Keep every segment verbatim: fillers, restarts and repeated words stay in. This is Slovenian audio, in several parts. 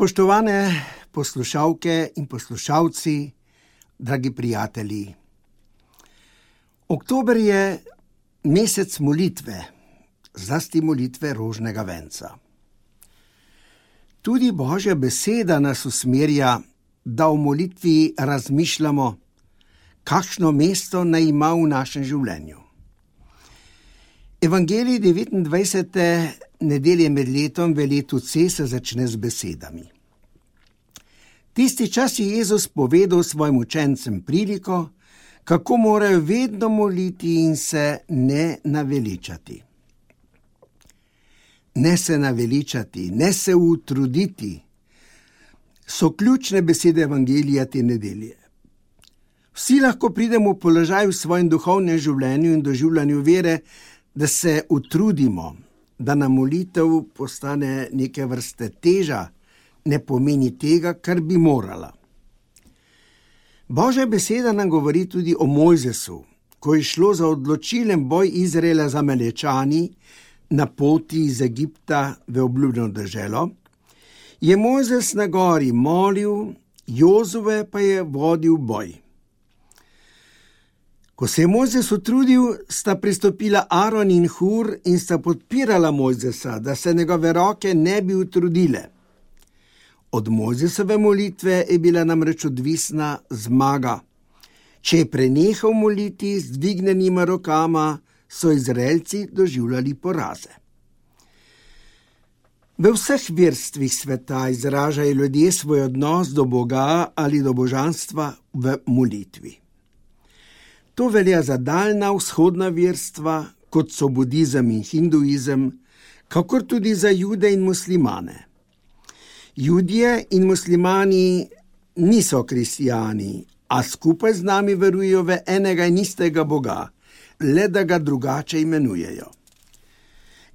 Spoštovane poslušalke in poslušalci, dragi prijatelji. Oktober je mesec molitve, zlasti molitve rožnega venca. Tudi Božja beseda nas usmerja, da v molitvi razmišljamo, kakšno mesto naj ima v našem življenju. Evangelij devetindvajsete nedelje med letom v letu C se začne z besedami. Tisti čas je Jezus povedal svojim učencem priliko, kako morajo vedno moliti in se ne naveličati. Ne se naveličati, ne se utruditi, so ključne besede Evangelija te nedelje. Vsi lahko pridemo v položaj v svojem duhovnem življenju in doživljanju vere, da se utrudimo, da nam molitev postane neke vrste teža, ne pomeni tega, kar bi morala. Božja beseda nam govori tudi o Mojzesu, ko je šlo za odločilen boj Izraela z Amalečani na poti iz Egipta v obljubljeno deželo, je Mojzes na gori molil, Jozue pa je vodil boj. Ko se je Mojzes utrudil, sta pristopila Aron in Hur in sta podpirala Mojzesa, da se njegove roke ne bi utrudile. Od Mojzesove molitve je bila namreč odvisna zmaga. Če je prenehal moliti z dvignjenima rokama, so Izraelci doživljali poraze. V vseh verstvih sveta izražajo ljudje svoj odnos do Boga ali do božanstva v molitvi. To velja za daljna vzhodna verstva, kot so budizem in hinduizem, kakor tudi za Jude in muslimane. Judje in muslimani niso kristijani, a skupaj z nami verujejo v enega in istega Boga, le da ga drugače imenujejo.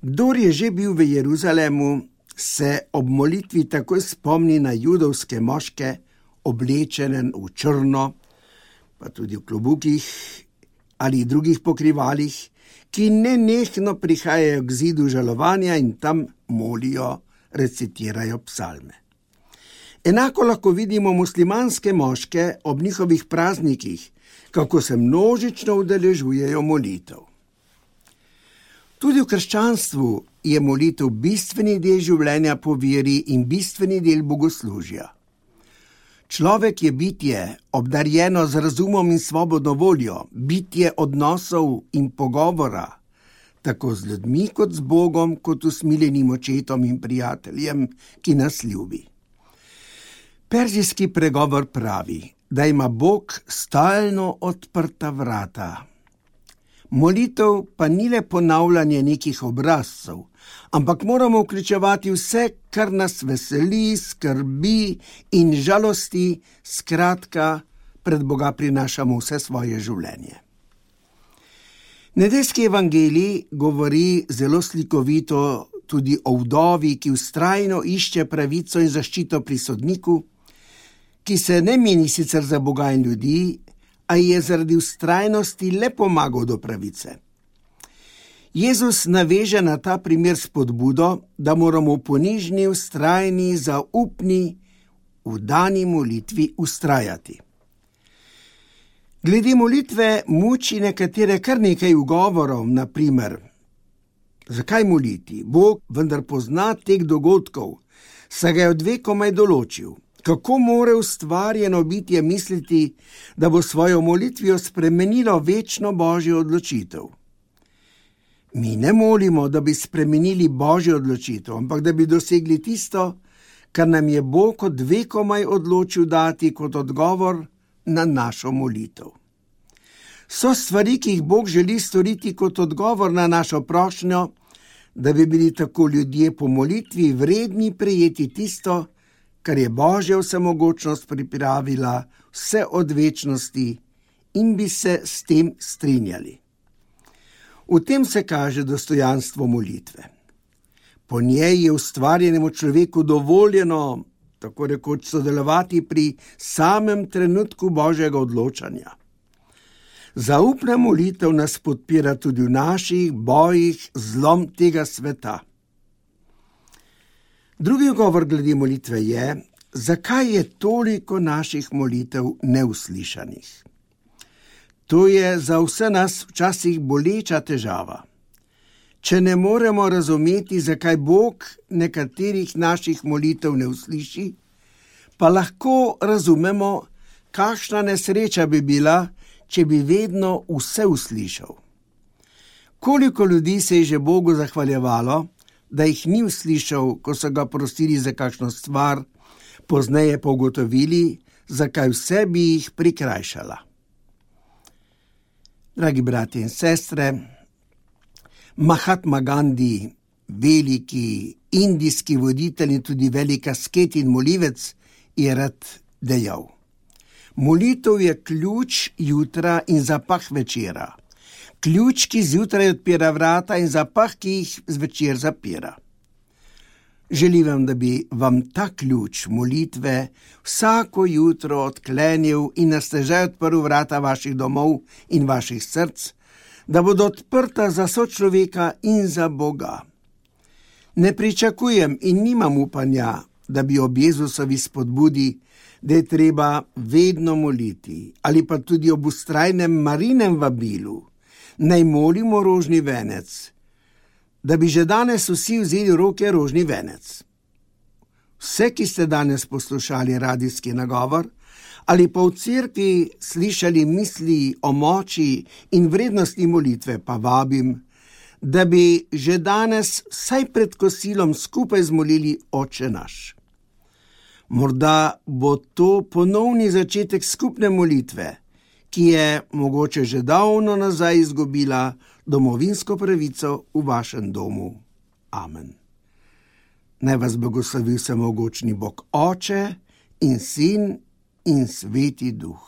Kdor je že bil v Jeruzalemu, se ob molitvi takoj spomni na judovske moške, oblečene v črno, pa tudi v klobukih ali drugih pokrivalih, ki nenehno prihajajo k zidu žalovanja in tam molijo, recitirajo psalme. Enako lahko vidimo muslimanske moške ob njihovih praznikih, kako se množično udeležujejo molitev. Tudi v krščanstvu je molitev bistveni del življenja po veri in bistveni del bogoslužja. Človek je bitje, obdarjeno z razumom in svobodno voljo, bitje odnosov in pogovora, tako z ljudmi kot z Bogom, kot usmiljenim očetom in prijateljem, ki nas ljubi. Perzijski pregovor pravi, da ima Bog stalno odprta vrata. Molitev pa ni le ponavljanje nekih obrazcev, ampak moramo vključevati vse, kar nas veseli, skrbi in žalosti, skratka, pred Boga prinašamo vse svoje življenje. Nedeljski evangelij govori zelo slikovito tudi o vdovi, ki vztrajno išče pravico in zaščito pri sodniku, ki se ne meni sicer za Boga in ljudi, a je zaradi vztrajnosti le pomagal do pravice. Jezus naveže na ta primer spodbudo, da moramo v ponižni, vztrajni, zaupni, vdani molitvi vztrajati. Glede molitve muči nekatere kar nekaj ugovorov, na primer, zakaj moliti? Bog vendar pozna tek dogodkov, saj ga je od vekomaj določil. Kako more ustvarjeno bitje misliti, da bo svojo molitvijo spremenilo večno Božjo odločitev? Mi ne molimo, da bi spremenili Božjo odločitev, ampak da bi dosegli tisto, kar nam je Bog od vekomaj odločil dati kot odgovor na našo molitev. So stvari, ki jih Bog želi storiti kot odgovor na našo prošnjo, da bi bili tako ljudje po molitvi vredni prejeti tisto, kar je Božja vsemogočnost pripravila vse od večnosti in bi se s tem strinjali. V tem se kaže dostojanstvo molitve. Po njej je ustvarjenemu človeku dovoljeno, tako rekoč, sodelovati pri samem trenutku Božjega odločanja. Zaupna molitev nas podpira tudi v naših bojih z zlom tega sveta. Drugi govor glede molitve je, zakaj je toliko naših molitev neuslišanih. To je za vse nas včasih boleča težava. Če ne moremo razumeti, zakaj Bog nekaterih naših molitev ne usliši, pa lahko razumemo, kakšna nesreča bi bila, če bi vedno vse uslišal. Koliko ljudi se je že Bogu zahvaljevalo, da jih ni uslišal, ko so ga prosili za kakšno stvar, pozneje pa ugotovili, zakaj vse bi jih prikrajšala. Dragi bratje in sestre, Mahatma Gandhi, veliki indijski voditelj in tudi velik asket in molivec, je rad dejal: molitev je ključ jutra in zapah večera. Ključ, ki zjutraj odpira vrata, in zapah, ki jih zvečer zapira. Želim vam, da bi vam ta ključ molitve vsako jutro odklenil in na stežaj odprl vrata vaših domov in vaših src, da bodo odprta za sočloveka in za Boga. Ne pričakujem in nimam upanja, da bi ob Jezusovi spodbudi, da je treba vedno moliti, ali pa tudi ob vztrajnem Marinem vabilu, naj molimo rožni venec, da bi že danes vsi vzeli v roke rožni venec. Vse, ki ste danes poslušali radijski nagovor, ali pa v cerkvi slišali misli o moči in vrednosti molitve, pa vabim, da bi že danes vsaj pred kosilom skupaj zmolili Oče naš. Morda bo to ponovni začetek skupne molitve, ki je mogoče že davno nazaj izgubila domovinsko pravico v vašem domu. Amen. Naj vas blagoslovi vsemogočni Bog Oče in Sin in Sveti Duh.